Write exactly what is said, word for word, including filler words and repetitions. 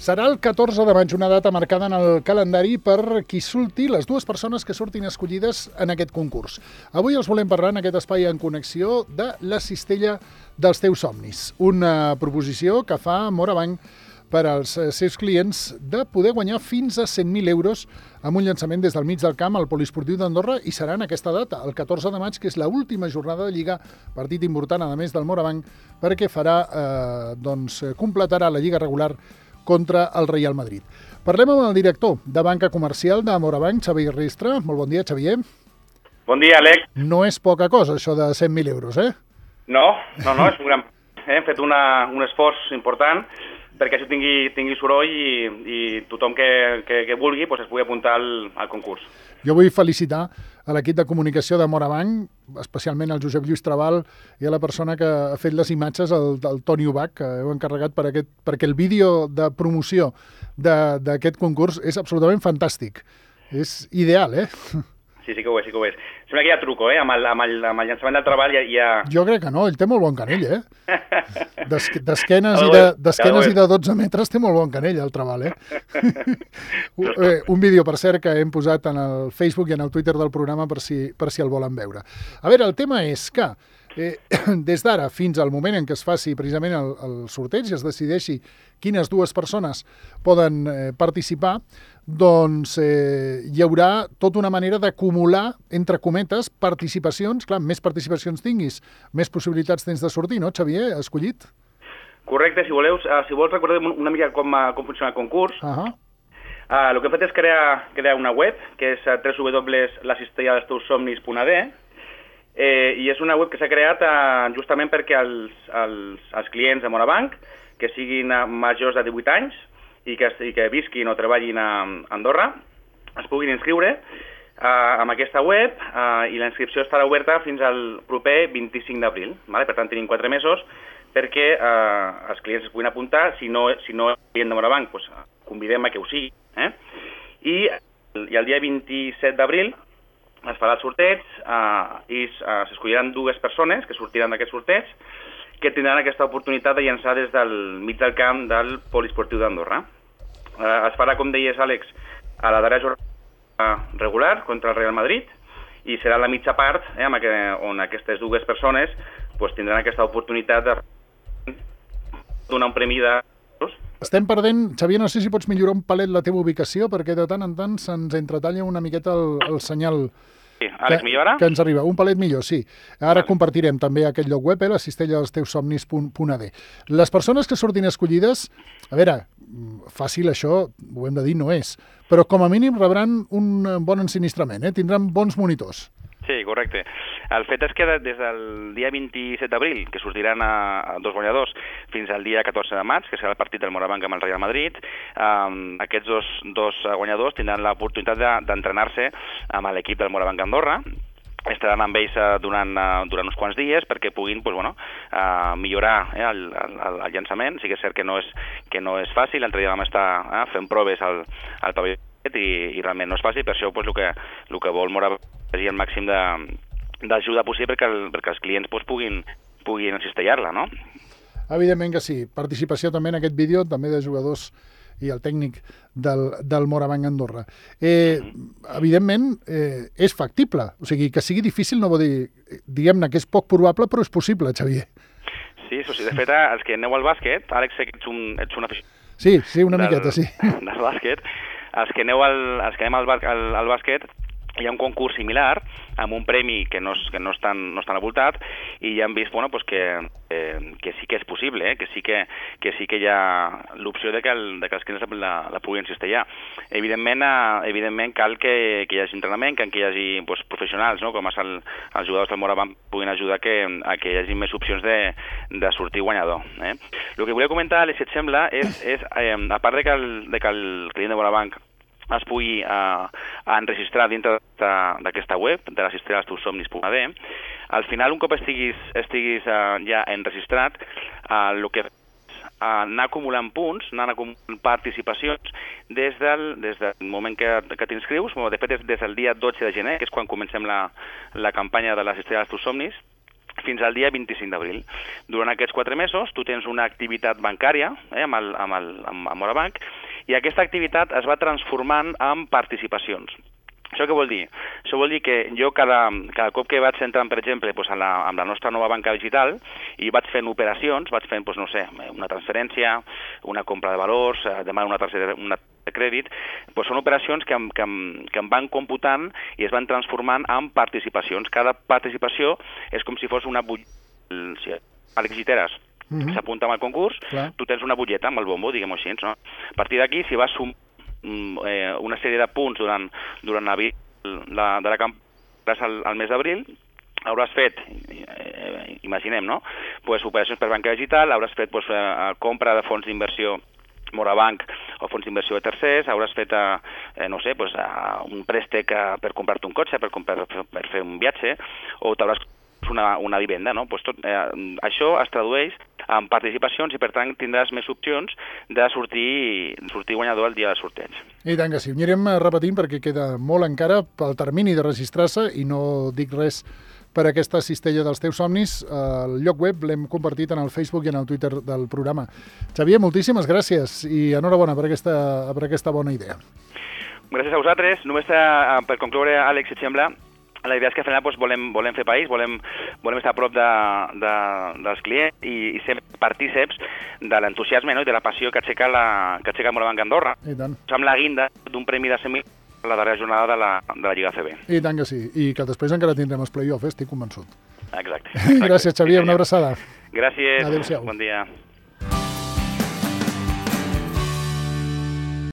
Serà el catorze de maig, una data marcada en el calendari per qui surti, les dues persones que surtin escollides en aquest concurs. Avui els volem parlar en aquest espai en connexió de la cistella dels teus somnis. Una proposició que fa Morabanc per als seus clients de poder guanyar fins a cent mil euros amb un llançament des del mig del camp al Poliesportiu d'Andorra, i serà en aquesta data, el catorze de maig, que és l'última jornada de Lliga, partit important, a més del Morabanc, perquè farà, eh, doncs, completarà la Lliga regular contra el Real Madrid. Parlem amb el director de banca comercial de Morabanc, Xavier Ristre. Molt bon dia, Xavier. Bon dia, Alec. No és poca cosa, això de cent mil euros, eh? No, no, no, és un gran... Hem fet una, un esforç important perquè això tingui, tingui soroll i, i tothom que, que, que vulgui pues, es pugui apuntar al, al concurs. Jo vull felicitar a l'equip de comunicació de Morabanc, especialment al Josep Lluís Trabal i a la persona que ha fet les imatges, el, el Toni Ubach, que heu encarregat per aquest, perquè el vídeo de promoció d'aquest concurs és absolutament fantàstic. És ideal, eh? Sí, sí que ho és, sí que ho és. Sembla que hi ha truco, eh? Amb el, amb el, amb el llançament del treball hi ha... Jo crec que no, ell té molt bon canell, eh? D'esquenes i, de, d'esquenes i de dotze metres té molt bon canell, el treball, eh? Un vídeo, per cert, que hem posat en el Facebook i en el Twitter del programa per si, per si el volen veure. A veure, el tema és que eh, des d'ara fins al moment en què es faci precisament el, el sorteig i es decideixi quines dues persones poden eh, participar, doncs eh, hi haurà tota una manera d'acumular, entre cometes, participacions. Clar, més participacions tinguis, més possibilitats tens de sortir, no, Xavier, escollit? Correcte, si voleu, uh, si vols recordem una mica com, uh, com funciona el concurs. Uh -huh. uh, el que hem fet és crear, crear una web, que és uh, w w w punt la cistella dels teus somnis punt a d, eh, i és una web que s'ha creat uh, justament perquè els, els, els clients de Morabanc, que siguin uh, majors de divuit anys, i que, i que visquin o treballin a Andorra, es puguin inscriure uh, amb aquesta web uh, i la inscripció estarà oberta fins al proper vint-i-cinc d'abril. Vale? Per tant, tenim quatre mesos perquè uh, els clients es puguin apuntar. Si no, si no és client de Morabanc, doncs, convidem a que ho sigui. Eh? I, I el dia vint-i-set d'abril es farà el sorteig uh, i uh, s'escolliran dues persones que sortiran d'aquest sorteig, que tindran aquesta oportunitat de llançar des del mig del camp del Poliesportiu d'Andorra. Eh, es farà, com deies, Àlex, a la darrera jornada regular contra el Real Madrid, i serà la mitja part eh, amb aqu on aquestes dues persones pues, tindran aquesta oportunitat de donar un premi de... Estem perdent... Xavier, no sé si pots millorar un palet la teva ubicació, perquè de tant en tant se'ns entretalla una miqueta el, el senyal... Sí, Àlex, millor ara? Que ens arriba. Un palet millor, sí. Ara compartirem també aquest lloc web, eh, la cistella dels teus somnis punt a d. Les persones que surtin escollides, a veure, fàcil això, ho hem de dir, no és, però com a mínim rebran un bon ensinistrament, eh? Tindran bons monitors. Sí, correcte. El fet és que des del dia vint-i-set d'abril, que sortiran a, a dos guanyadors, fins al dia catorze de maig, que serà el partit del Morabanc amb el Real Madrid, eh, aquests dos, dos guanyadors tindran l'oportunitat de, d'entrenar-se amb l'equip del Morabanc Andorra. Estaran amb ells uh, durant, uh, durant uns quants dies perquè puguin pues, bueno, uh, millorar eh, el, el, el llançament. Sí que és cert que no és, que no és fàcil. L'altre dia vam estar uh, fent proves al, al pavelló i, i realment no és fàcil. Per això pues, el, que, el que vol Morabanc és el màxim d'ajuda possible perquè, el, perquè els clients pues, puguin, puguin encistellar-la, no? Evidentment que sí. Participació també en aquest vídeo, també de jugadors i el tècnic del, del Morabanc Andorra. Eh, evidentment, eh, és factible. O sigui, que sigui difícil no vol dir, diguem-ne, que és poc probable, però és possible, Xavier. Sí, això sí. De fet, els que aneu al bàsquet, Àlex, sé que ets un, ets un aficionat. Sí, sí, una del, miqueta, sí. Del bàsquet. Els que aneu al, els que anem al, al, al bàsquet, hi ha un concurs similar amb un premi que no és, que no és, tan, no és tan avoltat, i ja hem vist bueno, pues que, eh, que sí que és possible, eh? que, sí que, que sí que hi ha l'opció de, que el, de que els clients la, la puguin cistellar. Evidentment, eh, evidentment cal que, que hi hagi entrenament, que, que hi hagi pues, professionals, no? com el, els jugadors del Morabanc puguin ajudar que, a que hi hagi més opcions de, de sortir guanyador. Eh? El que volia comentar, si et sembla, és, és eh, a part de que el, de que el client de Morabanc es pugui uh, enregistrar dintre d'aquesta web, de la cistella dels teus somnis punt a d, al final, un cop estiguis, estiguis uh, ja enregistrat, uh, el que és uh, anar acumulant punts, anar acumulant participacions des del, des del moment que, que t'inscrius, de fet, des del dia dotze de gener, que és quan comencem la, la campanya de la cistella dels teus somnis, fins al dia vint-i-cinc d'abril. Durant aquests quatre mesos tu tens una activitat bancària eh, amb, el, amb, el, amb, amb Morabanc, i aquesta activitat es va transformant en participacions. Això què vol dir? Això vol dir que jo cada, cada cop que vaig entrant, per exemple, doncs, en la, amb la nostra nova banca digital i vaig fent operacions, vaig fent, doncs, no sé, una transferència, una compra de valors, demano una targeta una de crèdit, doncs són operacions que em, que, em, que em van computant i es van transformant en participacions. Cada participació és com si fos una butlleta. Àlex Giteres mm-hmm. s'apunta amb el concurs, clar. Tu tens una butlleta amb el bombo, diguem-ho així, no? A partir d'aquí, si vas sumar una sèrie de punts durant, durant la, la, de la campanya al, al mes d'abril, hauràs fet, eh, imaginem, no? Pues, operacions per banca digital, hauràs fet pues, eh, compra de fons d'inversió Morabanc o fons d'inversió de tercers, hauràs fet, eh, no sé, pues, eh, un préstec per comprar-te un cotxe, per, per, per fer un viatge, o t'hauràs una, una vivenda, no? Pues tot, eh, això es tradueix en participacions i per tant tindràs més opcions de sortir, sortir guanyador el dia del sorteig. I tant que sí. Ho anirem repetint perquè queda molt encara pel termini de registrar-se i no dic res per aquesta cistella dels teus somnis. El lloc web l'hem compartit en el Facebook i en el Twitter del programa. Xavier, moltíssimes gràcies i enhorabona per aquesta, per aquesta bona idea. Gràcies a vosaltres. Només per, per concloure, Àlex, si et sembla, la idea és que al final doncs, volem, volem fer país, volem, volem estar a prop de, de, dels clients i, i ser partíceps de l'entusiasme, no? I de la passió que aixeca, la, que aixeca el Morabanc Andorra. I tant. Amb la guinda d'un premi de cent mil a la darrera jornada de la, de la Lliga A C B. I tant que sí, i que després encara tindrem els play-offs, estic convençut. Exacte. exacte. Gràcies, Xavier, una abraçada. Gràcies, adéu-siau. Bon dia.